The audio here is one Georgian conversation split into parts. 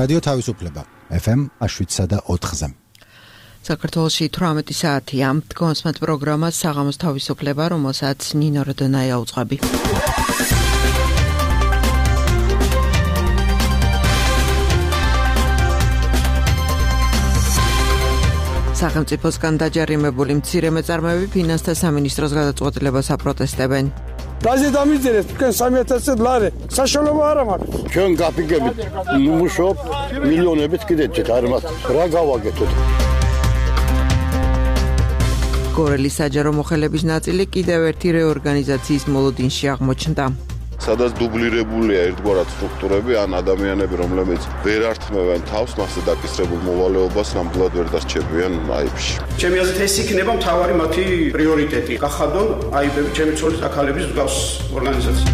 რადიო თავისუფლება FM 7.4-ზე. საქართველოში 18 საათია. დგომასმათ პროგრამას საღამოს თავისუფლება, რომელსაც ნინო როდონაია უძღვები. სახელმწიფოსგან დაჯარიმებული მცირე მეწარმეები ფინანსთა სამინისტროს გადაწყვეტილებას აპროტესტებენ. Razid amizdirez, თქვენ 3000 ლარი საშუალება არ მაქვს. ჩვენ გაფიგებით მუშაობ მილიონებით კიდეც არ მაქვს. რა გავაკეთოთ? გორელის საჯარო მოხელების ნაწილი კიდევ ერთი რეორგანიზაციის მოლოდინში აღმოჩნდა. სადაც დუბლირებულია ერთგვარად სტრუქტურები ან ადამიანები, რომლებიც ვერ ართმევენ თავს, მასზე დაკისრებულ მოვალეობას ნამდვილად ვერ დასჩებიან აიბში. ჩემი აზრით ეს იქნება მთავარი მათი პრიორიტეტი. გახადონ აიბები ჩემი ცოლის აქალების მსგავს ორგანიზაცია.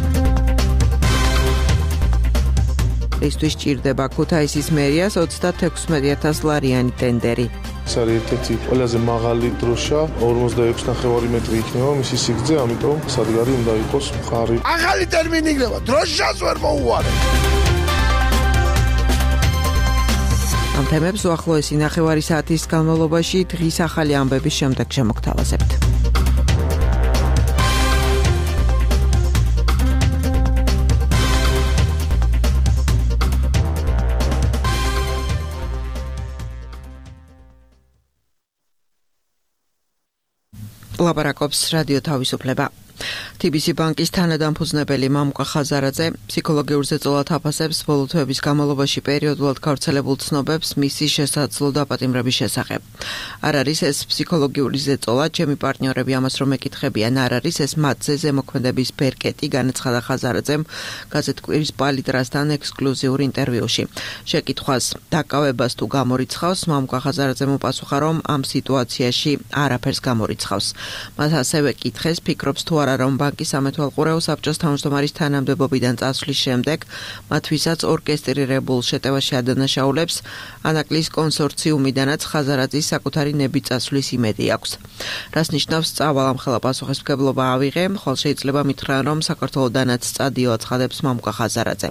ისთვის ჭირდება ქუთაისის მერიას 36,000 ლარიანი ტენდერი. ეს არის ერთ-ერთი ყველაზე მაღალი დროშა, 46.5 მეტრი იქნება მისი სიგრძე, ამიტომ სადგარი უნდა იყოს მყარი. ახალი ტერმინი იქნება, დროშას ვერ მოუვარებ. ამ თემებს უახლოესი ნახევარი საათის განმავლობაში დღის ახალი ამბების შემდეგ შემოგთავაზებთ. ლაპარაკობს რადიო თავისუფლება. TBC ბანკის თანადამფუძნებელი მამუკა ხაზარაძე ფსიქოლოგიურ ზეწოლად აფასებს ბოლო თვეების განმავლობაში პერიოდულად გავრცელებულ ცნობებს მისი შესაძლო დაპატიმრების შესახებ. არ არის ეს ფსიქოლოგიური ზეწოლა, ჩემი პარტნიორები ამას რომ ეკითხებიან, არ არის ეს მათზე ზემოქმედების ბერკეტი, განაცხადა ხაზარაძემ გაზეთ კვირის პალიტრასთან ექსკლუზიურ ინტერვიუში. შეკითხვას დაკავებას თუ გამორიცხავს, მამუკა ხაზარაძემ უპასუხა, რომ ამ სიტუაციაში არაფერს გამორიცხავს. მას ასევე კითხეს, ფიქრობს თუ არა რომ ბანკის სამეთვალყურეო საბჭოს თავმჯდომარის თანამდებობიდან წასვლის შემდეგ მათვისაც ორკესტრირებულ შეტევაში ადანაშაულებს ანაკლის კონსორციუმიდანაც ხაზარაძის საკუთარი ნებით წასვლის იმედი აქვს. რას ნიშნავს სწავალ ამხელა პასუხისმგებლობა ავიღე, ხოლო შეიძლება მითხრან რომ საქართველოდანაც წადიო აცხადებს მამუკა ხაზარაძე.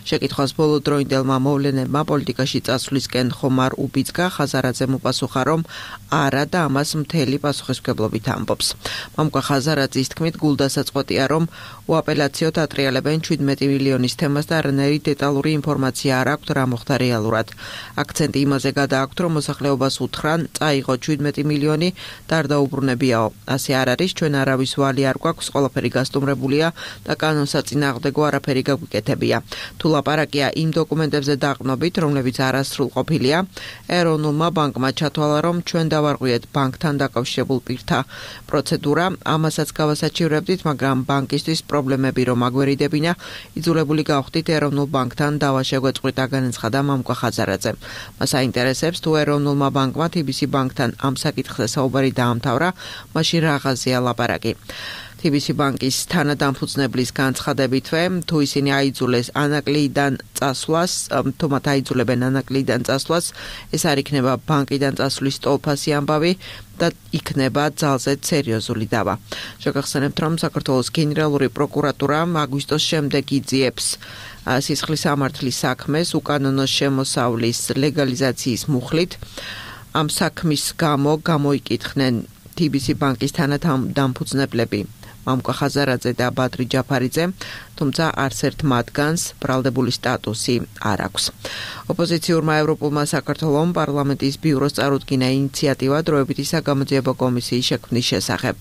შეკითხვას ბოლო დროინდელმა მოვლენებმა პოლიტიკაში წასვლისკენ ხომ არ უბიძგა, ხაზარაძემ უპასუხა რომ არა და ამას მთელი პასუხისმგებლობით ამბობს. მამუკა ხაზარაძის თქმით გულდასაწყვეტია რომ უაპელაციოდ ატრიალებენ 17 მილიონის თემას და არანაირი დეტალური ინფორმაცია არ აქვთ რა მოხდა რეალურად. აქცენტი იმაზე გადააქვთ რომ მოსახლეობას უთხრან წაიღო 17 მილიონი და არ დაუბრუნებიაო. ასე არ არის, ჩვენ არავის ვალი არ გვაქვს, ყველაფერი გასტუმრებულია და კანონსაწინააღმდეგო არაფერი გაგვიკეთებია. თუ ლაპარაკია იმ დოკუმენტებზე დაყრდნობით, რომლებიც არასრულ ყოფილია, ეროვნულმა ბანკმა ჩათვალა რომ ჩვენ დავარღვიეთ ბანკთან დაკავშირებულ პირთა პროცედურა, ამასაც გავასაჩივრებდით, მაგრამ ბანკისთვის პრობლემები რომ აგვერიდებინა, იძულებული გავხდით ეროვნულ ბანკთან დავა შეგვეწყვიტა, განაცხადა მამუკა ხაზარაძე. მას აინტერესებს თუ ეროვნულმა ბანკმა TBC ბანკთან ამ საკითხზე საუბარი დაამთავრა, მაშინ რაღაცია ლაპარაკი. TBC ბანკის თანადამფუძნებლის განცხადებითვე, თუ ისინი აიძულეს ანაკლიდან წასვლას, თუ მათ აიძულებენ ანაკლიდან წასვლას, ეს არ იქნება ბანკიდან წასვლის ტოლფასი ამბავი და იქნება ძალზედ სერიოზული დავა. შეგახსენებთ, რომ საქართველოს გენერალური პროკურატურა აგვისტოს შემდეგ იძიებს სისხლის სამართლის საქმეს უკანონო შემოსავლის ლეგალიზაციის მუხლით. ამ საქმის გამო გამოიკითხნენ TBC ბანკის თანადამფუძნებლები მამუკა ხაზარაძე და ბადრი ჯაფარიძე, თუმცა არც ერთ მათგანს ბრალდებული სტატუსი არ აქვს. ოპოზიციურმა ევროპულმა საქართველომ პარლამენტის ბიუროს წარუდგინა ინიციატივა დროებითი საგამოძიებო კომისიის შექმნის შესახებ.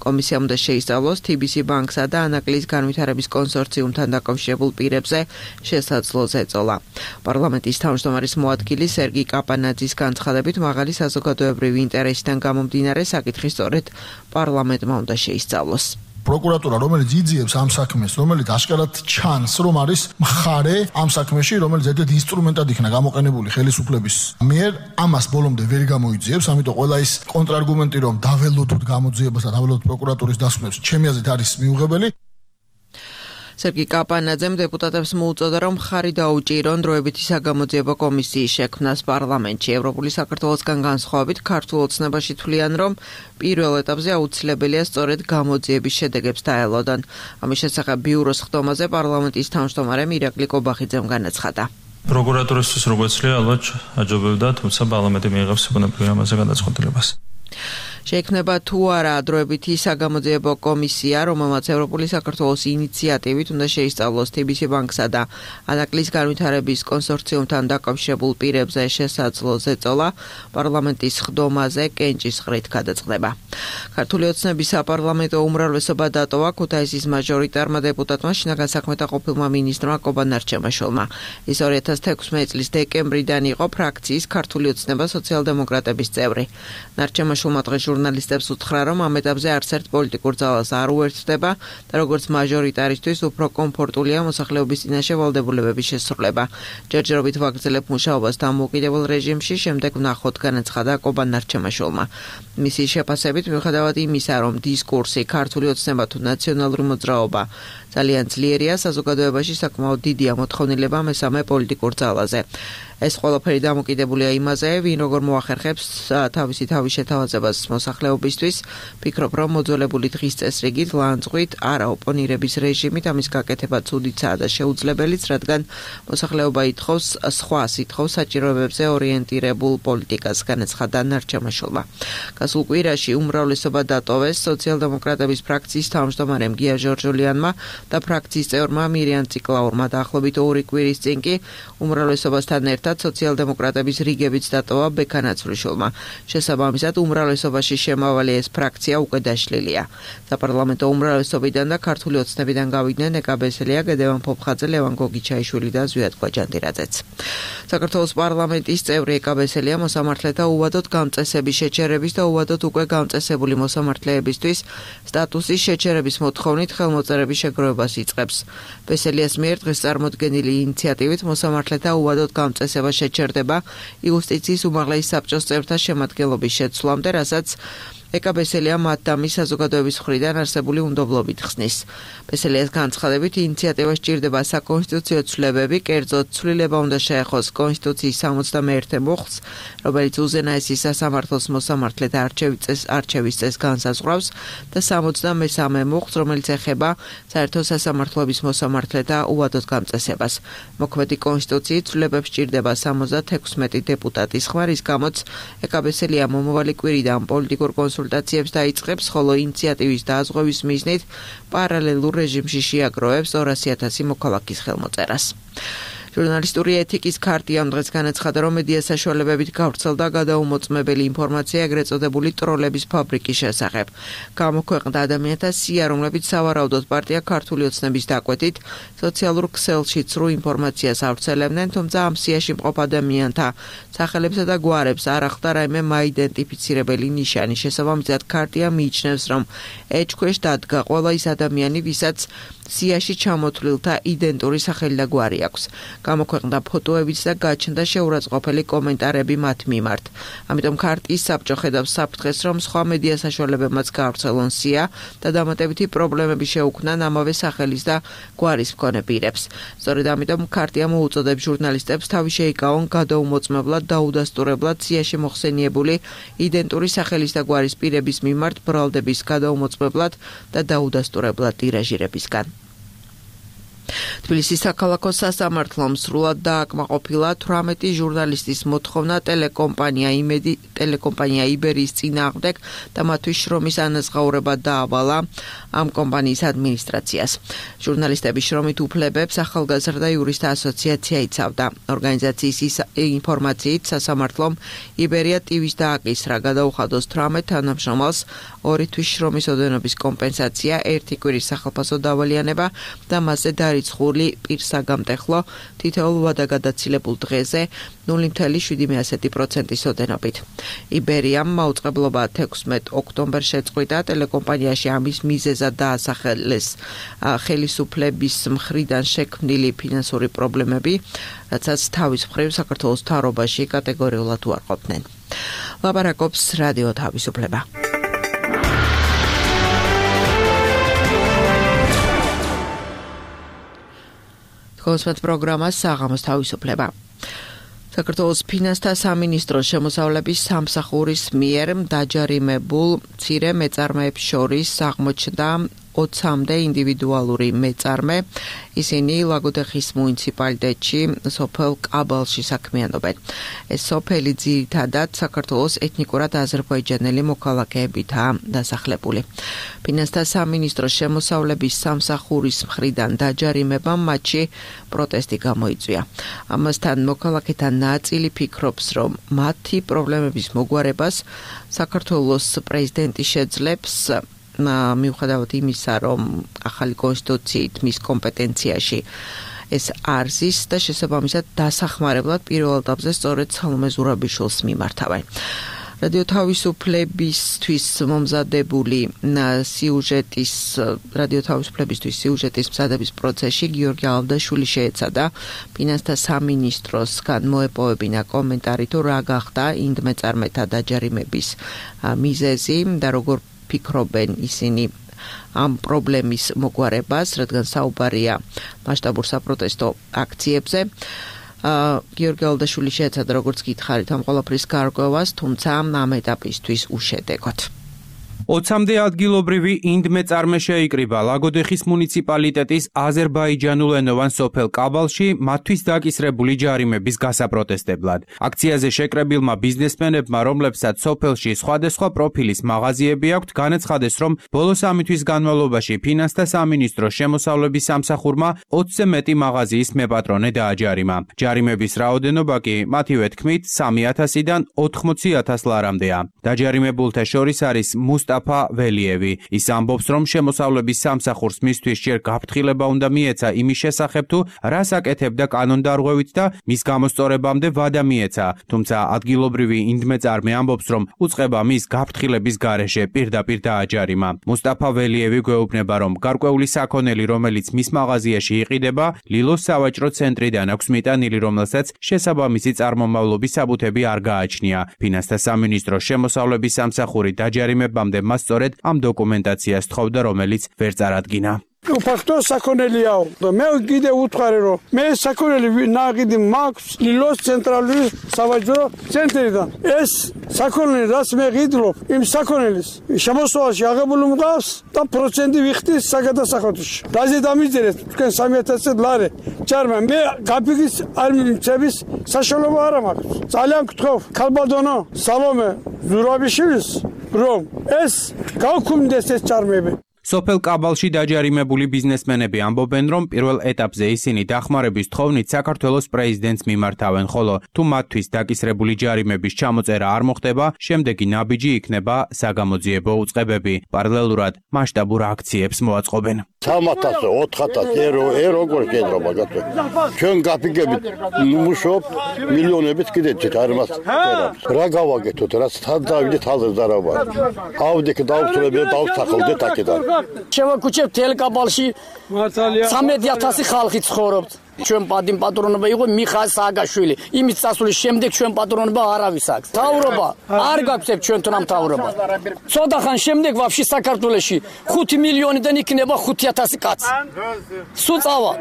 კომისიამ უნდა შეისწავლოს TBC ბანკსა და ანაკლის განვითარების კონსორციუმთან დაკავშირებულ პირებზე შესაძლო ზეწოლა. პარლამენტის თავმჯდომარის მოადგილი სერგი კაპანაძის განცხადებით, მაღალი საზოგადოებრივი ინტერესიდან გამომდინარე საკითხი სწორედ პარლამენტმა უნდა შეისწავლოს. პროკურატურა, რომელიც იძიებს ამ საქმეს, რომელიც აშკარად ჩანს, რომ არის მხარე ამ საქმეში, რომელიც ერთ-ერთ ინსტრუმენტად იქნა გამოყენებული ხელისუფლების მიერ, ამას ბოლომდე ვერ გამოიძიებს, ამიტომ ყველა ის კონტრარგუმენტი, რომ დაველოდოთ გამოძიებას და დაველოდოთ პროკურატურის დასკვნებს, ჩემი აზრით არის მიუღებელი. სერგი კაპანაძემ დეპუტატებს მოუწოდა, რომ ხარი დაუჭირონ დროებითი საგამოძიებო კომისიის შექმნას პარლამენტში. ევროპული საქართველოსგან განსხვავებით, ქართულ ოცნებაში თვლიან, რომ პირველ ეტაპზე აუცილებელია სწორედ გამოძიების შედეგებს დაელოდონ. ამის შესახებ ბიუროს ხდომაზე პარლამენტის თავმჯდომარე ირაკლი კობახიძემ განაცხადა. პროკურატურისთვის როგორც ძლია ალბათ აჯობებდა, თუმცა პარლამენტი მიიღებს საკუთარ ამაზე გადაწყვეტილებას. შეიქმნება თუ არა ადროებითი საგამოძიებო კომისია, რომელმაც ევროპული საქართველოს ინიციატივით უნდა შეისწავლოს TBC ბანკსა და ანაკლის განვითარების კონსორციუმთან დაკავშირებულ პირებზე შესაძლო ზეწოლა პარლამენტის ხდომაზე კენჭის ღრით გადაწყდება. ქართული ოცნების საპარლამენტო უმრავლესობა დატოვა ქუთაისის მაჟორიტარმა დეპუტატმა შინაგან საქმეთა ყოფილმა მინისტრმა კობა ნარჩემაშვილმა. ის 2016 წლის დეკემბრიდან იყო ფრაქციის ქართული ოცნება სოციალ-დემოკრატების წევრი. ნარჩემაშვილმა დღეს ჟურნალისტებს უთხრა, რომ ამ ეტაპზე არც ერთ პოლიტიკურ ძალას არ უერთდება და როგორც მაჟორიტარისთვის უფრო კომფორტულია მოსახლეობის წინაშე ვალდებულებების შესრულება. ჯერჯერობით ვაგრძელებ მუშაობას დამოუკიდებელ რეჟიმში, შემდეგ ვნახოთ, განაცხადა კობა ნარჩემაშვილმა. მისი შეფასებით, მიუხედავად იმისა, რომ დისკურსი ქართული ოცნება თუ ნაციონალური მოძრაობა ძალიან ძლიერია, საზოგადოებაში საკმაოდ დიდია მოთხოვნილება მესამე პოლიტიკურ ძალაზე. ეს ყველაფერი დამოკიდებულია იმაზე, ვინ როგორ მოახერხებს თავისი თავის შეთავაზებას მოსახლეობისთვის. ფიქრობ, რომ მოძველებული დღის წესრიგით, ლანძღვით, არა ოპონირების რეჟიმით ამის გაკეთება ცუდიცაა და შეუძლებელიც, რადგან მოსახლეობა ითხოვს სხვა სითხოვ საჭიროებებზე ორიენტირებულ პოლიტიკას, განაცხადა ნარჩემაშვილმა. გასულ კვირაში უმრავლესობა დატოვეს სოციალ-დემოკრატების ფრაქციის თავმჯდომარემ გია ჟორჟოლიანმა და ფრაქციის წევრმა მირიან ციკლაურმა დაახლოებით 2 კვირის წინ კი უმრავლესობასთან ერთად სოციალ-დემოკრატების რიგებიც დატოვა ბექა ნაცვლიშვილმა. შესაბამისად, უმრავლესობაში შემავალი ეს ფრაქცია უკვე დაშლილია. საპარლამენტო უმრავლესობიდან და ქართული ოცნებიდან გავიდნენ ეკა ბესელია, გედევან ფოფხაძე, ლევან გოგიჩაიშვილი და ზვიად კვაჯანდირაძეც. საქართველოს პარლამენტის წევრი ეკა ბესელია მოსამართლეთა უვადოდ გამწესების შეჩერების და უვადოდ უკვე გამწესებული მოსამართლეებისთვის სტატუსის შეჩერების მოთხოვნით ხელმოწერების შეგროვებას იწყებს. ბესელიას მიერ დღეს წარმოდგენილი ინიციატივით მოსამართლეთა უვადოდ გამწესება შეჩერდება იუსტიციის უმაღლესი საბჭოს წევრთა შემადგენლობის შეცვლამდე, რასაც ეკა ბესელია მათ და მის საზოგადოების მხრიდან არსებული უნდობლობით ხსნის. ბესელიას განცხადებით, ინიციატივა სჭირდება საკონსტიტუციო ცვლილებები, კერძოდ ცვლილება უნდა შეეხოს კონსტიტუციის 61 მუხლს, რომელიც უზენაესი სასამართლოს მოსამართლეთა არჩევის წესს განსაზღვრავს და 63 მუხლს, რომელიც ეხება საერთო სასამართლოების მოსამართლეთა უვადოდ გამწესებას. მოქმედი კონსტიტუციით ცვლილებებს სჭირდება 76 დეპუტატის ხმა, რის გამოც ეკა ბესელია მომავალი კვირიდან პოლიტიკურ კონსულტაციებს დაიწყებს, ხოლო ინიციატივის დაზღვევის მიზნით პარალელურ რეჟიმში შეაგროვებს 200,000 მოქალაქის ხელმოწერას. ჟურნალისტური ეთიკის ქარტიამ დღეს განაცხადა, რომ მედია საშუალებებით გავრცელდა გადაუმოწმებელი ინფორმაცია ეგრეთ წოდებული ტროლების ფაბრიკის შესახებ. გამოქვეყნდა ადამიანთა სია, რომლებიც სავარაუდოდ პარტია ქართული ოცნების დაკვეთით სოციალურ ქსელში ცრუ ინფორმაციას ავრცელებდნენ, თუმცა ამ სიაში მყოფ ადამიანთა სახელებსა და გვარებს არ ახლდა რაიმე მაიდენტიფიცირებელი ნიშანი. შესაბამისად, ქარტია მიიჩნევს, რომ ეჭქვეშ დადგა ყველა ის ადამიანი, ვისაც სიაში ჩამოთვლილთა იდენტური სახელი და გვარი აქვს. გამოქვეყნდა ფოტოებიც და გაჩნდა შეურაცხყოფელი კომენტარები მათ მიმართ. ამიტომ ქარტიის საბჭო ხედავს საფრთხეს, რომ სხვა მედია საშუალებებმაც გაავრცელონ სია და დამატებითი პრობლემები შეუქმნან ამავე სახელის და გვარის მქონე პირებს. სწორედ ამიტომ ქარტია მოუწოდებს ჟურნალისტებს თავი შეიკავონ გადაუმოწმებლად და უდასტურებლად სიაში მოხსენიებული იდენტური სახელის და გვარის პირების მიმართ ბრალდების გადაუმოწმებლად და დაუდასტურებლად ტირაჟირებისგან. თბილისის საქალაქო სასამართლომ სრულად დააკმაყოფილა 18 ჟურნალისტის მოთხოვნა ტელეკომპანია იბერიის წინააღმდეგ და მათთვის შრომის ანაზღაურება დაავალა ამ კომპანიის ადმინისტრაციას. ჟურნალისტების შრომით უფლებებს ახალგაზრდა იურისტთა ასოციაცია იცავდა. ორგანიზაციის ინფორმაციით სასამართლომ იბერია ტივის დააკისრა გადაუხადოს 18 თანამშრომელს 2 თვის შრომის ოდენობის კომპენსაცია, 1 კვირის სახელფასო დავალიანება და მასზე რიცხული პირსაგამტეხლო თითოეულ ვადაგადაცილებულ დღეზე 0.7% ოდენობით. იბერიამ მაუწყებლობა 16 ოქტომბერს შეწყვიტა ტელეკომპანიაში ამის მიზეზად დაასახელეს ხელისუფლების მხრიდან შექმნილი ფინანსური პრობლემები, რაცაც თავის მხრივ საქართველოს მთავრობაში კატეგორიულად უარყოფდნენ. ლაპარაკობს რადიო თავისუფლება. კონსპეთ პროგრამას საღამოს თავისუფლება. საქართველოს ფინანსთა სამინისტროს შემოსავლების სამსახურის მიერ დაჯარიმებულ მცირე მეწარმეებს შორის აღმოჩნდა 20-მდე ინდივიდუალური მეწარმე. ისინი ლაგოდეხის მუნიციპალიტეტში სოფელ კაბალში საქმიანობენ. ეს სოფელი ძირითადად საქართველოს ეთნიკურად აზერბაიჯანელი მოქალაქეებითაა დასახლებული. ფინანსთა სამინისტროს შემოსავლების სამსახურის მხრიდან დაჯარიმებამ მათში პროტესტი გამოიწვია. ამასთან მოქალაქეთა ნაწილი ფიქრობს, რომ მათი პრობლემების მოგვარებას საქართველოს პრეზიდენტი შეძლებს მიუხედავად იმისა, რომ ახალი კონსტიტუციით მის კომპეტენციაში ეს არ ზის და შესაბამისად დასახმარებლად პირველ ეტაპზე სწორედ სალომე ზურაბიშვილს მიმართავენ. რადიო თავისუფლებისთვის მომზადებული სიუჟეტის მზადების პროცესში გიორგი ალდაშვილი შეეცადა ფინანსთა სამინისტროსგან მოეპოვებინა კომენტარი თუ რა გახდა ინდმეწარმეთა დაჯარიმების მიზეზი და როგორ ფიქრობენ ისინი ამ პრობლემის მოგვარებას, რადგან საუბარია მასშტაბურ საპროტესტო აქციებზე. გიორგი ალდაშვილი შეეცადა როგორც გითხარით ამ ყველაფრის გარკვევას, თუმცა ამ ეტაპისთვის უშედეგოდ. 20-მდე ადგილობრივი ინდმეწარმე შეიკრიბა ლაგოდეხის მუნიციპალიტეტის აზერბაიჯანულენოვან სოფელ კაბალში მათთვის დაკისრებული ჯარიმების გასაპროტესტებლად. აქციაზე შეკრებილმა ბიზნესმენებმა, რომლებსაც სოფელში სხვადასხვა პროფილის მაღაზიები აქვთ, განაცხადეს, რომ ბოლო 3 თვის განმავლობაში ფინანსთა სამინისტროს შემოსავლების სამსახურმა 20-ზე მეტი მაღაზიის მეპატრონე დააჯარიმა. ჯარიმების რაოდენობა კი მათივე თქმით 3,000-დან 80,000 ლარამდეა. დაჯარიმებულთა შორის არის მუსტაფა ველიევი. ის ამბობს, რომ შემოსავლების სამსახურს მისთვის ჯერ გაფრთხილება უნდა მიეცა იმის შესახებ, თუ რას აკეთებდა კანონდარღვევით და მის გამოსწორებამდე ვადა მიეცა. თუმცა ადგილობრივი ინდმეწარმე ამბობს, რომ უწყება მის გაფრთხილების გარეშე პირდაპირ დააჯარიმა. მუსტაფა ველიევი გვეუბნება, რომ გარკვეული საქონელი, რომელიც მის მაღაზიაში იყიდება, ლილოს სავაჭრო ცენტრიდან აქვს მიტანილი, რომელსაც შესაბამისი წარმომავლობის საბუთები არ გააჩნია. ფინანსთა სამინისტროს შემოსავლების სამსახური დაჯარიმებამდე მას სწორედ ამ დოკუმენტაციას თხოვდა, რომელიც ვერ წარადგინა. ფაქტო საქონელიაო და მე კიდე უთხარი, რომ მე საქონელი ნაღიდი მაქვს ლილოს ცენტრალური სავაჭრო ცენტრიდან. ეს საქონელი რაც მე ღიდლობ, იმ საქონელის შემოსავალში აღებული მყავს და პროცენტი ვიხდის საგადასახადოში. რაზე დამიჯერეთ თქვენ 3,000 ლარი ჯარმა. მე გაფიგის არ მიმცემის საშუალება არ მაქვს. ძალიან გთხოვ ქალბატონო სალომე ზურაბიშვილს, რომ ეს გავქუმდეს ეს ჯარმები. სოფელ კაბალში დაჯარიმებული ბიზნესმენები ამბობენ, რომ პირველ ეტაპზე ისინი დახმარების თხოვნით საქართველოს პრეზიდენტს მიმართავენ, ხოლო თუ მათთვის დაკისრებული ჯარიმების ჩამოწერა არ მოხდება, შემდეგი ნაბიჯი იქნება საგამოძიებო უწყებები. პარალელურად მასშტაბურ აქციებს მოაწყობენ. 3,000, 4,000 როგორ გედრობა გაწვე. ჩვენ გაფიგებით მუშაობ მილიონებით კიდე არ მას რა გავაკეთოთ, რაც თან დავიდეთ ალზე დარაბა. ავდიქ დავწრებე დავსახლდეთ აქედან. შევაკუჩებთ ელკაბალში 13,000 ხალხი ცხოვრობთ. ჩვენ პატრონობა იყო მიხა სააგაშვილი. იმის წასვლის შემდეგ ჩვენ პატრონობა არავის აქვს. თავრობა არ გაგვცემთ ჩვენ თუნამ თავრობა. ცოტა ხან შემდეგ ვაფშე საქართველოში 5 მილიონიდან იქნება 5,000 კაცი. სუწავა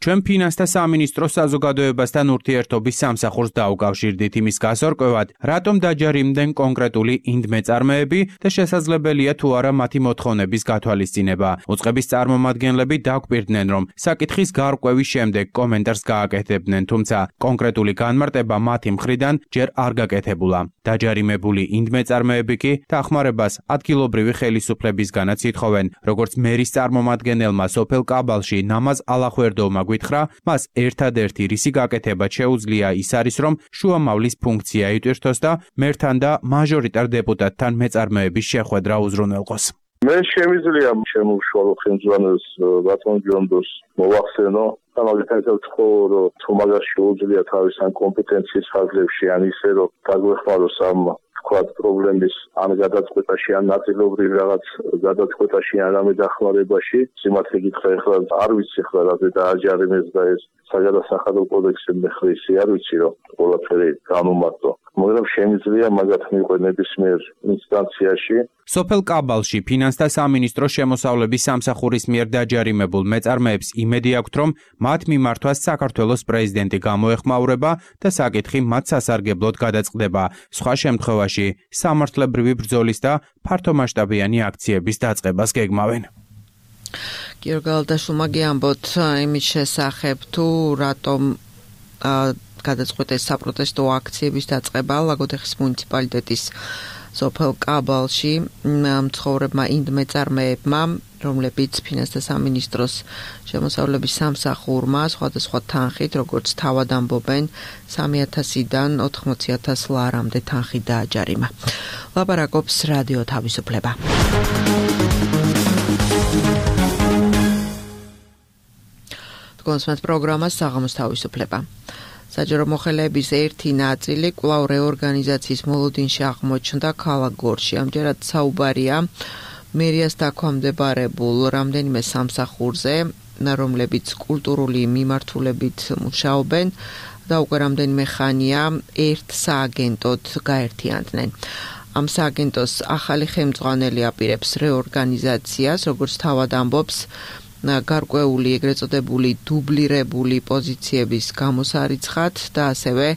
ჩვენ ფინანსთა სამინისტროს საზოგადოებასთან ურთიერთობის სამსახურს დაუკავშირდით იმის გასარკვევად, რატომ დაჯარიმდნენ კონკრეტული ინდმეწარმეები და შესაძლებელია თუ არა მათი მოთხოვნების გათვალისწინება. უწყების წარმომადგენლები დაგვირდნენ, რომ საკითხის გარკვევის შემდეგ კომენტარს გააკეთებდნენ, თუმცა კონკრეტული განმარტება მათი მხრიდან ჯერ არ გაკეთებულა. დაჯარიმებული ინდმეწარმეები კი დახმარებას ადგილობრივი ხელისუფლებისგანაც ითხოვენ, როგორც მერის წარმომადგენელმა სოფელ კაბალში ნამაზ ალახვერდოვმა გითხრა, მას ერთადერთი რისი გაკეთება შეუძლია ის არის, რომ შუამავლის ფუნქცია იტვირთოს და მერთან და მაჟორიტარ დეპუტატთან მეწარმეების შეხვედრა უზრუნველყოს. მე შემიძლია შემოუშვალო ხელმძღვანელს ბატონ ჯონდოს მოვახსენო სამაგისტრატო თხოვრო თუ მაგას შეუძლია თავის ან კომპეტენციის ფარგლებში ან ისე რომ დაგვეხმაროს ამ ვთქვათ პრობლემის ან გადაწყვეტაში ან ნაწილობრივ რაღაც გადაწყვეტაში ან რამე დახმარებაში სიმართლე გითხრა ეხლა არ ვიცი ხლა რა დააჯარიმეს და ეს საგადასახადო კოდექსი მეხრისი არ ვიცი რომ ყველაფერი განუმარტო მაგრამ შემიძლია მაგათ მიყვე ნებისმიერ ინსტანციაში. სოფელ კაბალში ფინანსთა სამინისტროს შემოსავლების სამსახურის მიერ დაჯარიმებულ მეწარმეებს იმედი აქვთ, რომ მათ მიმართვას საქართველოს პრეზიდენტი გამოეხმაურება და საკითხი მათ სასარგებლოდ გადაწყდება. სხვა შემთხვევაში სამართლებრივი ბრძოლის და ფართომასშტაბიანი აქციების დაწყებას გეგმავენ. გიორგალდაშვილმა გიამბოთ იმის შესახებ თუ რატომ გადაწყვეტეს საპროტესტო აქციების დაწყება ლაგოდეხის მუნიციპალიტეტის სოფელ კაბალში მცხოვრებმა ინდმეწარმეებმა, რომლებიც ფინანსთა სამინისტროს შემოსავლების სამსახურმა სხვადასხვა თანხით, როგორც თავად ამბობენ, 3,000-დან 80,000 ლარამდე თანხი დააჯარიმა. ლაპარაკობს რადიო თავისუფლება. კონსმეთ პროგრამა საღამოს თავისუფლება. საჯარო მოხელეების ერთი ნაწილი კვლავ რეორგანიზაციის მოლოდინში აღმოჩნდა ქალაქ გორში. ამჯერად საუბარია მერიას დაქვემდებარებულ რამდენიმე სამსახურზე, რომლებიც კულტურული მიმართულებით მუშაობენ და უკვე რამდენიმე ხანია ერთ სააგენტოდ გაერთიანდნენ. ამ სააგენტოს ახალი ხელმძღვანელი აპირებს რეორგანიზაციას, როგორც თავად ამბობს, გარკვეული ეგრეთ წოდებული დუბლირებული პოზიციების გამოსარიცხად და ასევე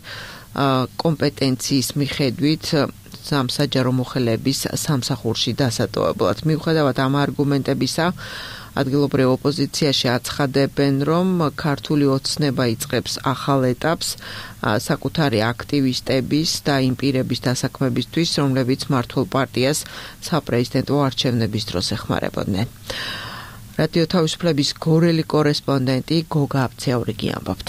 კომპეტენციის მიხედვით სამსაჯარო მოხელეების სამსახურში დასატოვებლად. მიუხედავად ამ არგუმენტებისა, ადგილობრივ ოპოზიციაში აცხადებენ, რომ ქართული ოცნება იწყებს ახალ ეტაპს საკუთარი აქტივისტების და იმ პირების დასაქმებისთვის, რომლებიც მმართველ პარტიას საპრეზიდენტო არჩევნების დროს ეხმარებოდნენ. რადიო თავისუფლების გორელი კორესპონდენტი გოგა აბცეაურიგი ამბობთ.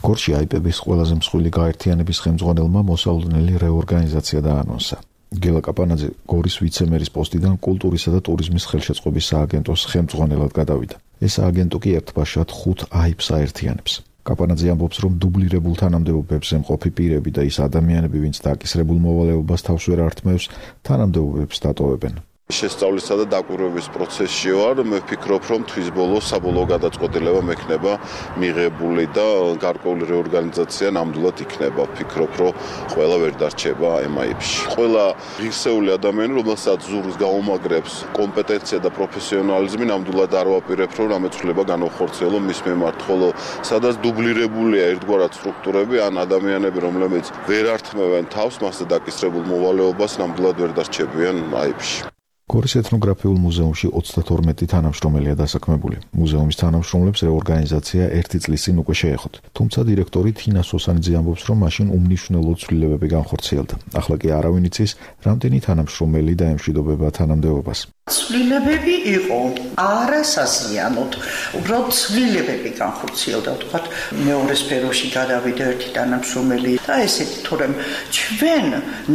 გორში აიპების ყველაზე მსხვილი გაერთიანების ხელმძღვანელმა მოსავლენელი რეორგანიზაცია დაანონსა. გელა კაპანაძე გორის ვიცე-მერის პოსტიდან კულტურისა და ტურიზმის ხელშეწყობის სააგენტოს ხელმძღვანელად გადავიდა. ეს სააგენტო კი ერთბაშად 5 აიპს აერთიანებს. კაპანაძე ამბობს, რომ დუბლირებულ თანამდებობებზე მყოფი პირები და ის ადამიანები, ვინც დაკისრებულ მოვალეობას თავს ვერ ართმევს, თანამდებობებს დატოვებენ. შესწავლისა და დაკვირვების პროცესში ვარ. მე ვფიქრობ, რომ თვის ბოლოს საბოლოო გადაწყვეტილება მექნება მიღებული და გარკვეული რეორგანიზაცია ნამდვილად იქნება. ვფიქრობ, რომ ყველა ვერ დარჩება MIP-ში. ყველა ღირსეული ადამიანი, რომელსაც ზურგს გაუმაგრებს კომპეტენცია და პროფესიონალიზმი, ნამდვილად არ ვაპირებ, რომ რამეცვლება განახორციელო მის მიმართ, ხოლო სადაც დუბლირებულია ერთგვარად სტრუქტურები, ან ადამიანები, რომლებიც ვერ ართმევენ თავს მასზე დაკისრებულ მოვალეობას, ნამდვილად ვერ დარჩებიან MIP-ში. გორის ეთნოგრაფიულ მუზეუმში 32 თანამშრომელია დასაქმებული. მუზეუმის თანამშრომლებს რეორგანიზაცია 1 წლის წინ უკვე შეეხოთ. თუმცა დირექტორი თინა სოსანიძე ამბობს, რომ მაშინ უმნიშვნელო ცვლილებები განხორციელდა. ახლა კი არავინ იცის, რამდენი თანამშრომელი დაემშვიდობება თანამდებობას. ცვლილებები იყო არასაზიანოდ, უბრალოდ ცვლილებები განხორციელდა, ვთქვათ, მეორე სფეროში გადავიდა ერთი თანამშრომელი და ესეთი, თორემ ჩვენ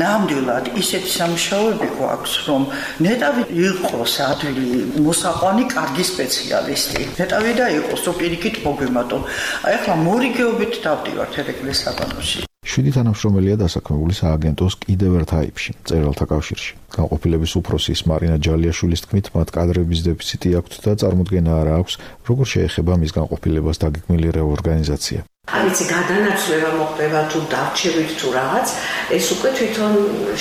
ნამდვილად ისეთი სამუშაოები გვაქვს, რომ ნეტავი იყოს ადვილი მოსაყვანი კარგი სპეციალისტი. ნეტავი და იყოს პირიქით მოგემატო. ახლა მორიგეობით დავდივართ ერეკლეს საბანოში. 7 თანამშრომელია დასაქმებული სააგენტოს კიდევ ერთ აიპში, მწერალთა კავშირში. განყოფილების უფროსის მარინა ჯალიაშვილის თქმით, მათ კადრების დეფიციტი აქვთ და წარმოდგენა არ აქვს, როგორ შეეხება მის განყოფილებას დაგეგმილი რეორგანიზაცია. არიცი გადანაცვლება მოხდება თუ დარჩევით თუ რაღაც, ეს უკვე თვითონ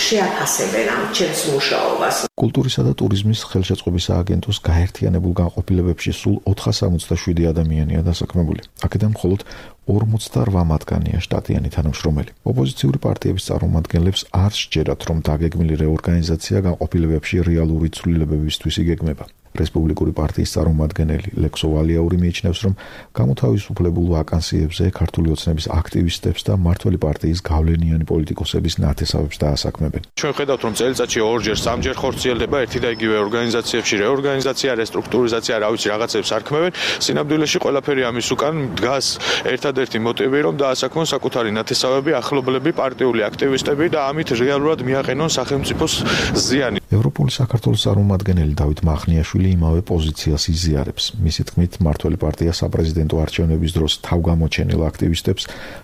შეაფასებენ ამ ჩემს მუშაობას. კულტურისა და ტურიზმის ხელშეწყობის სააგენტოს გაერთიანებულ განყოფილებებში სულ 467 ადამიანია დასაქმებული. აქედან მხოლოდ 48 მათგანია შტატიანი თანამშრომელი. ოპოზიციური პარტიების წარმომადგენლებს არ სჯერათ, რომ დაგეგმილი რეორგანიზაცია განყოფილებებში რეალური ცვლილებებისთვის იგეგმება. რესპუბლიკური პარტიის წარმომადგენელი ლექსო ვალიაური მიიჩნევს, რომ გამოთავისუფლებულ ვაკანსიებზე ქართული ოცნების აქტივისტებს და მმართველი პარტიის გავლენიანი პოლიტიკოსების ნათესავებს დაასაქმებენ. ჩვენ ხედავთ, რომ წელიწადში 2-3 ხორციელდება ერთი და იგივე ორგანიზაციებში რეორგანიზაცია, რესტრუქტურიზაცია, რა ვიცი, რაღაცებს არქმევენ. სინამდვილეში ყველაფერი ამის უკან დგას ერთადერთი მოტივი, რომ დაასაქმონ საკუთარი ნათესავები, ახლობლები, პარტიული აქტივისტები და ამით რეალურად მიაყენონ სახელმწიფოს ზიანი. ევროპული საქართველოს წარმომადგენელი დავით მახნიაშვილი იმავე პოზიციას იზიარებს. მისი თქმით, მმართველი პარტია საპრეზიდენტო არჩევნების დროს თავგამოჩენილ აქტივისტებს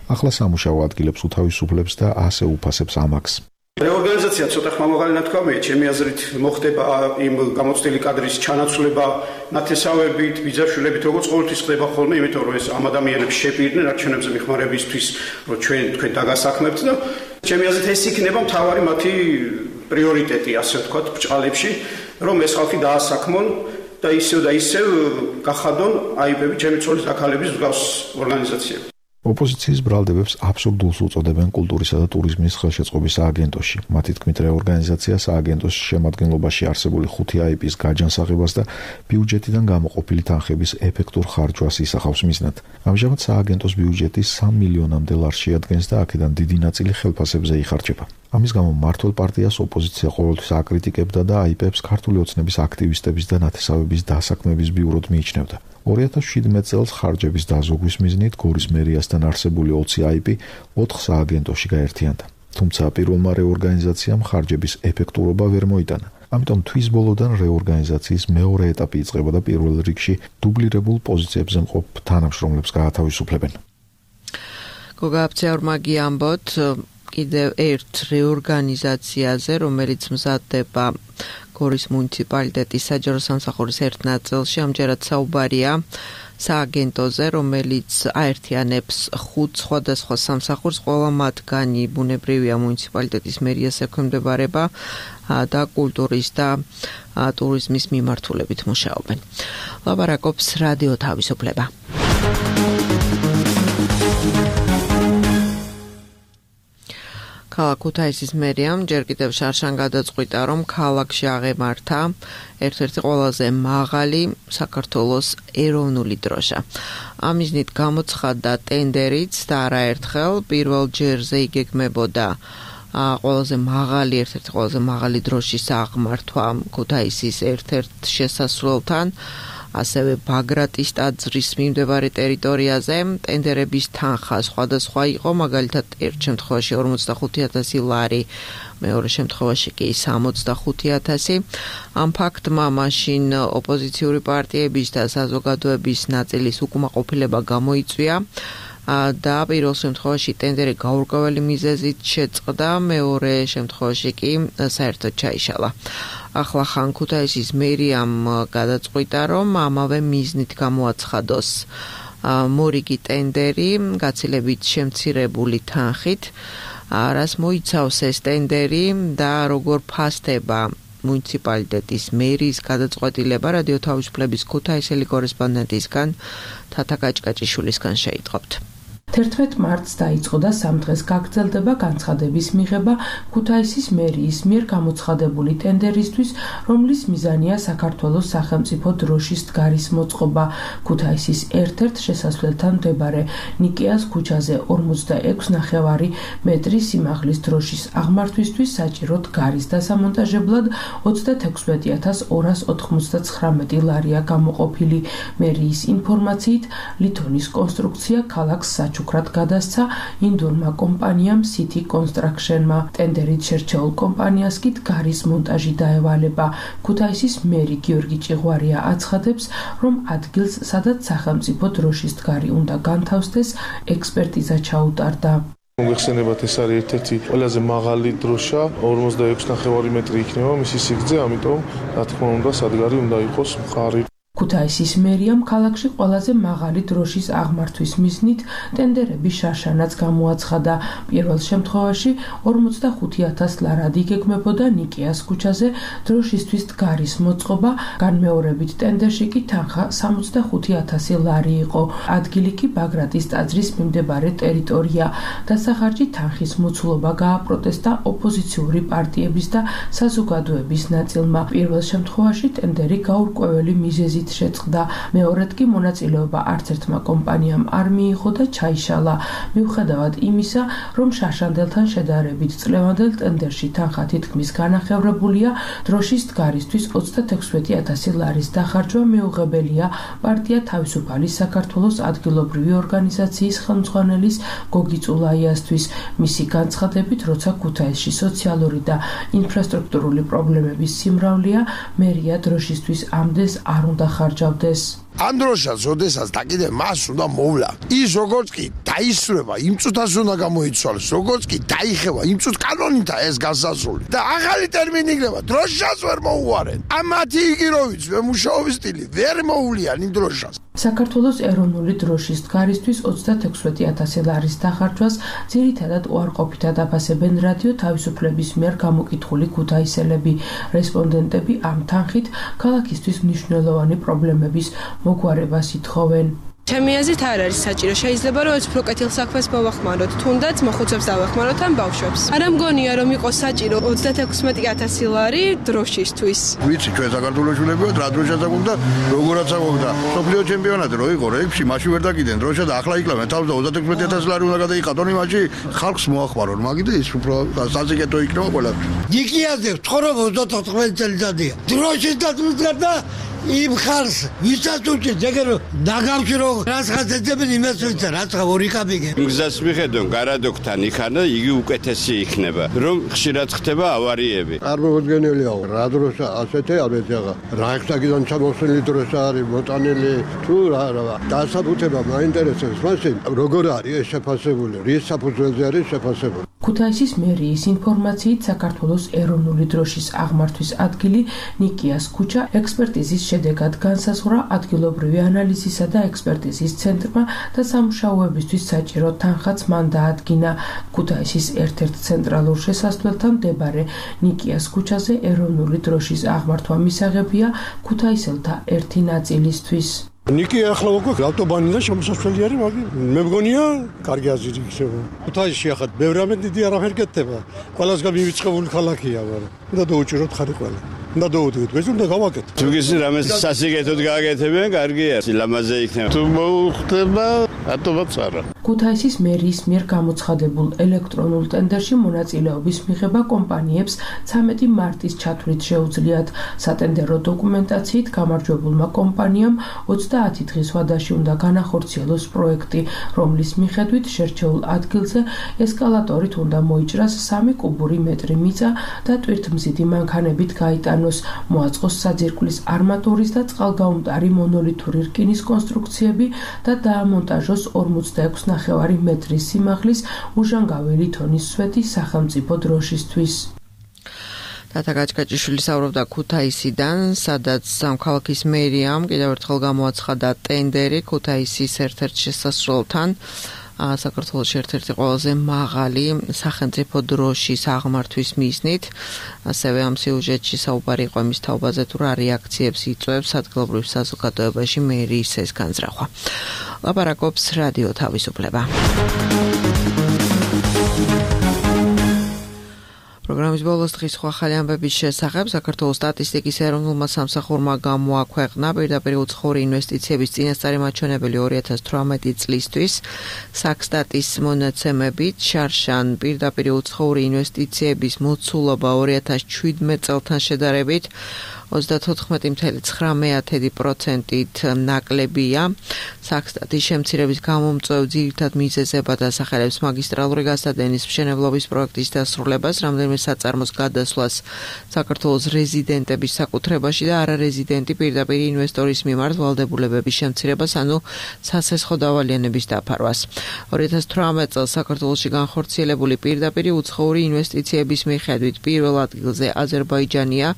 ახლა სამუშაო ადგილებს უთავისუფლებს და ასე უფასებს ამაკს. რეორგანიზაცია ცოტა ხმამაღალი ნათქვამია, ჩემი აზრით მოხდება იმ გამოცდილი კადრის ჩანაცვლება ნათესავებით, ბიძაშვილებით, როგორც ყოველთვის ხდება ხოლმე, იმიტომ რომ ეს ამ ადამიანებს შეპირდნენ არჩევნებზე მიხმარებისთვის, რომ თქვენ დაგასაქმებთ და ჩემი აზრით ეს იქნება მთავარი მათი პრიორიტეტი, ასე ვთქვათ, ბჭყალებში, რომ ეს ხალხი დაასაქმონ და ისევ გახადონ აიპები ჩემი ცოლის აქალების მსგავს ორგანიზაციები. ოპოზიციის ბრალდებებს აბსურდულს უწოდებენ კულტურისა და ტურიზმის ხელშეწყობის სააგენტოში. მათი თქმით, რეორგანიზაცია სააგენტოს შემადგენლობაში არსებული 5 IP-ის გაჯანსაღებას და ბიუჯეტიდან გამოყოფილი თანხების ეფექტურ ხარჯვას ისახავს მიზნად. ამჟამად სააგენტოს ბიუჯეტი 3 მილიონამდე ლარს შეადგენს და აქედან დიდი ნაწილი ხელფასებზე იხარჯება. ამის გამო მმართველ პარტიას ოპოზიცია ყოველთვის აკრიტიკებდა და IP-ებს ქართული ოცნების აქტივისტების და ნათესავების დასაქმების ბიუროდ მიიჩნევდა. 2017 წელს ხარჯების დაზოგვის მიზნით გორის მერიასთან არსებული 20 IP 4 სააგენტოში გაერთიანდა. თუმცა პირველმა რეორგანიზაციამ ხარჯების ეფექტურობა ვერ მოიტანა. ამიტომ თვის ბოლოდან რეორგანიზაციის მეორე ეტაპი იწყება და პირველ რიგში დუბლირებულ პოზიციებზე მყოფ თანამშრომლებს გაათავისუფლებენ. გოგა აფცეორმაგი ამბოთ კიდევ ერთ რეორგანიზაციაზე, რომელიც მზადდება გორის მუნიციპალიტეტის საჯარო სამსახურის ერთ ნაწილში, ამჯერად საუბარია სააგენტოზე, რომელიც აერთიანებს 5 სხვადასხვა სამსახურს, ყველა მათგანი ბუნებრივია მუნიციპალიტეტის მერიას ექვემდებარება და კულტურის და ტურიზმის მიმართულებით მუშაობენ. ლაპარაკობს რადიო თავისუფლება. ქალაქ ქუთაისის მერიამ ჯერ კიდევ შარშან გადაწყვიტა, რომ ქალაქში აღემართა ერთ-ერთი ყველაზე მაღალი საქართველოს ეროვნული დროშა. ამ მიზნით გამოცხადდა ტენდერიც და არაერთხელ პირველ ჯერზე იგეგმებოდა ერთ-ერთი ყველაზე მაღალი დროშის აღმართვა ქუთაისის ერთ-ერთ შესასვლელთან, ასევე ბაგრატის ტაძრის მიმდებარე ტერიტორიაზე. ტენდერების თანხა სხვადასხვა იყო, მაგალითად ერთ შემთხვევაში 45,000 ლარი, მეორე შემთხვევაში კი 65,000. ამ ფაქტმა მაშინ ოპოზიციური პარტიების და საზოგადოების ნაწილის უკმაყოფილება გამოიწვია და პირველ შემთხვევაში ტენდერი გაურკვეველი მიზეზით შეწყდა, მეორე შემთხვევაში კი საერთოდ ჩაიშალა. ახლა ხან ქუთაისის მერიამ გადაწყვიტა, რომ ამავე მიზნით გამოაცხადოს მორიგი ტენდერი გაცილებით შემცირებული თანხით, რას მოიცავს ეს ტენდერი და როგორ ფასდება მუნიციპალიტეტის მერის გადაწყვეტილება. რადიო თავისუფლების ქუთაისელი კორესპონდენტისგან თათა კაჭკაჭიშვილისგან შეიტყობთ. 11 მარტს დაიწყო და 3 დღეს გაგრძელდება განცხადების მიღება ქუთაისის მერიის მიერ გამოცხადებული ტენდერისთვის, რომლის მიზანია საქართველოს სახელმწიფო დროშის დგარის მოწყობა. ქუთაისის ერთ-ერთ შესასვლელთან მდებარე ნიკეას ქუჩაზე 46,5 მეტრის სიმაღლის დროშის აღმართვისთვის საჭირო დგარის დასამონტაჟებლად 36,299 ლარია გამოყოფილი. მერიის ინფორმაციით, ლითონის კონსტრუქცია ქალაქს უკრად გადასცა ინდურმა კომპანიამ City Construction-მა. ტენდერით შერჩეულ კომპანიას კი დგარის მონტაჟი დაევალება. ქუთაისის მერი გიორგი ჭიღვარია აცხადებს, რომ ადგილს, სადაც სახელმწიფო დროშის დგარი უნდა განთავსდეს, ექსპერტიზა ჩაუტარდა. მოგეხსენებათ, ეს არის ერთ-ერთი ყველაზე მაღალი დროშა, 46,5 მეტრი იქნება მისი სიგრძე, ამიტომ რა თქმა უნდა სადგარი უნდა იყოს მყარი. ქუთაისის მერიამ ქალაქში ყველაზე მაღალი დროშის აღმართვის მიზნით ტენდერების შარშანაც გამოაცხადა. პირველ შემთხვევაში 45,000 ლარად იგეგმებოდა ნიკეას ქუჩაზე დროშისთვის დგარის მოწყობა, განმეორებით ტენდერში კი თანხა 65,000 ლარი იყო. ადგილი კი ბაგრატის ტაძრის მიმდებარე ტერიტორია. დასახარჯი თანხის მოცულობა გააპროტესტა ოპოზიციური პარტიების და საზოგადოების ნაწილმა. პირველ შემთხვევაში ტენდერი გაურკვეველი მიზეზით შეწყდა, მეორედ კი მონაწილეობა არც ერთმა კომპანიამ არ მიიღო და ჩაიშალა. მიუხედავად იმისა, რომ შარშანდელთან შედარებით წლევანდელ ტენდერში თანხა თითქმის განახევრებულია, დროშის დგარისთვის 36,000 ლარის დახარჯვა მეუღებელია პარტია თავისუფალი საქართველოს ადგილობრივი ორგანიზაციის ხელმძღვანელის გოგი წულაიასთვის. მისი განცხადებით, როცა ქუთაისში სოციალური და ინფრასტრუქტურული პრობლემების სიმრავლეა, მერია დროშისთვის ამდენს არ უნდა ხარჯავდეს. ამ დროშას ოდესაც და კიდე მას უნდა მოვლა. ის როგორც კი დაისრება, იმ წუთას უნდა გამოიცვალოს, როგორც კი დაიხევა, იმ წუთ კანონითა ეს გასასრული. და ახალი ტერმინი იქნება, დროშას ვერ მოუვარენ. ამათი იგიროვიც მუშაობის სტილი ვერ მოუვლიან იმ დროშას. საქართველოს ეროვნული დროშის დგარისთვის 36,000 ლარის დახარჯვას ძირითადად უარყოფითად აფასებენ რადიო თავისუფლების მიერ გამოკითხული ქუთაისელები. რესპონდენტები ამ თანხით ქალაქისთვის მნიშვნელოვანი პრობლემების მოგვარებას ითხოვენ. ჩემი აზრით არ არის საჭირო. შეიძლება რომ ეს უფრო კეთილ საქმეს მოვახმაროთ, თუნდაც მოხუცებს დავეხმაროთ ან ბავშვებს. არ მგონია რომ იყოს საჭირო 36,000 ლარი დროშისთვის. ვიცი ჩვენ საქართველოს შულები ვართ, რა დროშა საკვობდა, როგორაც საკვობდა. სოფლიო ჩემპიონატი რო იყო რეებში, მაშინ ვერ დაკიდენ დროშა და ახლა იკლავენ თავს და 36,000 ლარი უნდა გადაიყატონ იმაში, ხალხს მოახმარონ, მაგით ის უფრო საზოგადო იქნება ყველაფერი. ნიკიაზე ცხოვრობ 34 წელიწადია. დროშის დაწვით და იმ ხალხს ვისაც უჭირს ეგერ დაგავშირო რას ხაცებენ იმას ვიცი რაც ორი კაპიკი გზას მიხედონ გარადოქთან იქანა იგი უკეთესი იქნება რომ ხშირად ხდება ავარიები არ მოგდგენელია რა დროშა ასეთი არის ახლა რაიხსტაგიდან ჩამოსული დროშა არის მოტანილი თუ რა დასაბუთება მაინტერესებს მაშინ როგორ არის ეს შეფასებული რის საფუძველზე არის შეფასებული ქუთაისის მერიის ინფორმაციით საქართველოს ეროვნული დროშის აღმართვის ადგილი ნიკიას ქუჩა ექსპერტიზის შედეგად განსაზღვრა ადგილობრივი ანალიზისა და ექსპერტიზის ცენტრმა და სამუშაოებისთვის საჭირო თანხაც მან დაადგინა. ქუთაისის ერთ-ერთ ცენტრალურ შესასვლელთან მდებარე ნიკიას ქუჩაზე ეროვნული დროშის აღმართვა მისაღებია ქუთაისელთა ერთი ნაწილისთვის. ნიკი ახლა უკვე ავტობანიდან შემოსასვლელი არის, მაგრამ მე მგონია კარგი აზრი იქნება. ქუთაისში ახლა ბევრი რამე დიდი არაფერ გეთება. ყველასგან მივიწყებული ქალაქია, მაგრამ უნდა დაუჭიროთ ხარი ყველა. უნდა დაუდგეთ, ეს უნდა გავაკეთოთ. თუ გიზი რამე სასიკეთოდ გააკეთებენ, კარგია. ლამაზე იქნება. თუ მოუხდება, ატომაც არა. ქუთაისის მერიის მიერ გამოცხადებულ ელექტრონულ ტენდერში მონაწილეობის მიღება კომპანიებს 13 მარტის ჩათვლით შეუძლიათ. სატენდერო დოკუმენტაციით გამარჯვებულმა კომპანიამ 30 დღის ვადაში უნდა განახორციელოს პროექტი, რომლის მიხედვით შერჩეულ ადგილზე ესკალატორით უნდა მოიჭრას 3 კუბური მეტრი მიწა და ტვირთმზიდი მანქანებით გაიტანოს, მოაწყოს საძირკვლის არმატურის და წყალგაუმტარი მონოლითური რკინის კონსტრუქციები და დაამონტაჟოს 46,5 მეტრის სიმაღლის უჟანგაველი თონის სვეტი სახელმწიფო დროშისთვის. თათა გაჭკაჭიშვილი საუბრობდა ქუთაისიდან, სადაც სამქალაქის მერიამ კიდევ ერთხელ გამოაცხადა ტენდერი ქუთაისის ერთ-ერთ შესასვლელთან. საქართველოში ერთ-ერთი ყველაზე მაღალი სახელმწიფო დროშის აღმართვის მიზნით. ასევე ამ სიუჟეტში საუბარი იყო იმის თაობაზე, თუ რა რეაქციებს იწვევს ადგილობრივ საზოგადოებაში მერიის ეს განზრახვა. ლაპარაკობს რადიო თავისუფლება. პროგრამის ბოლოს დღის სხვა ახალი ამბების შესახებ საქართველოს სტატისტიკის ეროვნულმა სამსახურმა გამოაქვეყნა პირდაპირ უცხოური ინვესტიციების წინასწარი მაჩვენებელი 2018 წლისთვის. საქსტატის მონაცემებით შარშან პირდაპირ უცხოური ინვესტიციების მოცულობა 2017 წელთან შედარებით 34.9%-ით ნაკლებია. საქსტატის შემცირების გამომწვევ ძირითად მიზეზებად ასახელებს მაგისტრალური გასადენის მშენებლობის პროექტის დასრულებას, რამდენიმე საწარმოს გადასვლას საქართველოს რეზიდენტების საკუთრებაში და არარეზიდენტი პირდაპირ ინვესტორის მიმართ ვალდებულებების შემცირებას, ანუ სასესხო დავალიანების დაფარვას. 2018 წელს საქართველოში განხორციელებული პირდაპირ უცხოური ინვესტიციების მიხედვით პირველ ადგილზე აზერბაიჯანია,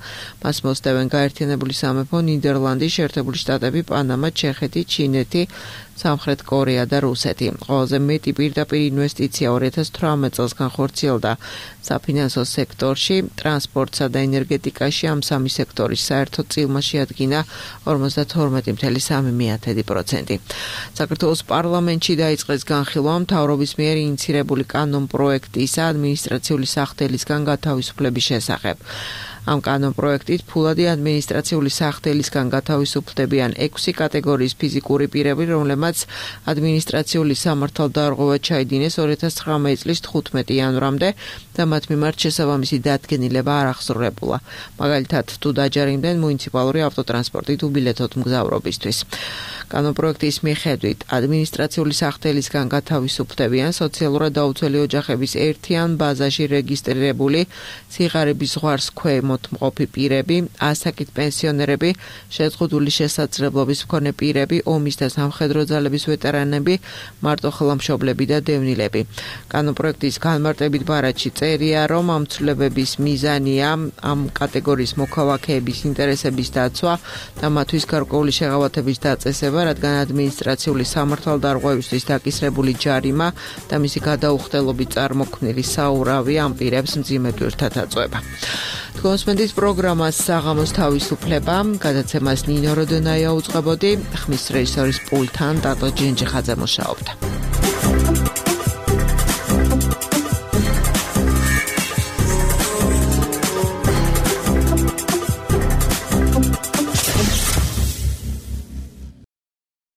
მას მოსდევენ გაერთიანებული სამეფო, ნიდერლანდი, შეერთებული შტატები, პანამა, ჩეხეთი, ჩინეთი, სამხრეთ კორეა და რუსეთი. ყველაზე მეტი პირდაპირ ინვესტიცია 2018 წელს განხორციელდა საფინანსო სექტორში, ტრანსპორტსა და ენერგეტიკაში. ამ სამი სექტორის საერთო წილმა შეადგინა 52.3%. საქართველოს პარლამენტში დაიწყეს განხილვა მთავრობის მიერ ინიცირებული კანონპროექტისა ადმინისტრაციული სახდელისგან გათავისუფლების შესახებ. ამ კანონპროექტით ფულადი ადმინისტრაციული სახდელისგან გათავისუფლდებიან 6 კატეგორიის ფიზიკური პირები, რომლებმაც ადმინისტრაციული სამართალდარღვევა ჩაიდინეს 2019 წლის 15 იანვრამდე და მათ მიმართ შესაბამისი დადგენილება არ აღსრულებულა. მაგალითად, თუ დაჯერიმდნენ მუნიციპალური ავტოტრანსპორტით უბილეთოთ მგზავრობისთვის. კანონპროექტის მიხედვით ადმინისტრაციული სახდელისგან გათავისუფლდებიან სოციალურად დაუცველი ოჯახების ერთიან ბაზაში რეგისტრირებული სიღარიბის ზღვარს ქვემოთმყოფი პირები, ასაკით პენსიონერები, შეზღუდული შესაძლებლობის მქონე პირები, ომის და სამხედრო ძალების ვეტერანები, მარტოხელმშობლები და დევნილები. კანონპროექტის განმარტებით ბარათში წერია, რომ ამ ცვლილებების მიზანია ამ კატეგორიის მოქალაქეების ინტერესების დაცვა და მათთვის გარკვეული შეღავათების დაწესება იქნება, რადგან ადმინისტრაციული სამართალდარღვევისთვის დაკისრებული ჯარიმა და მისი გადაუხდელობით წარმოქმნილი საურავი ამ პირებს მძიმე ტვირთად აწვება. თქვენს პროგრამას საღამოს თავისუფლება, გადაცემას ნინო როდონაია უწყებოდი, ხმის რეჟისორის პულტთან დატო ჯენჯიხაძე მუშაობდა.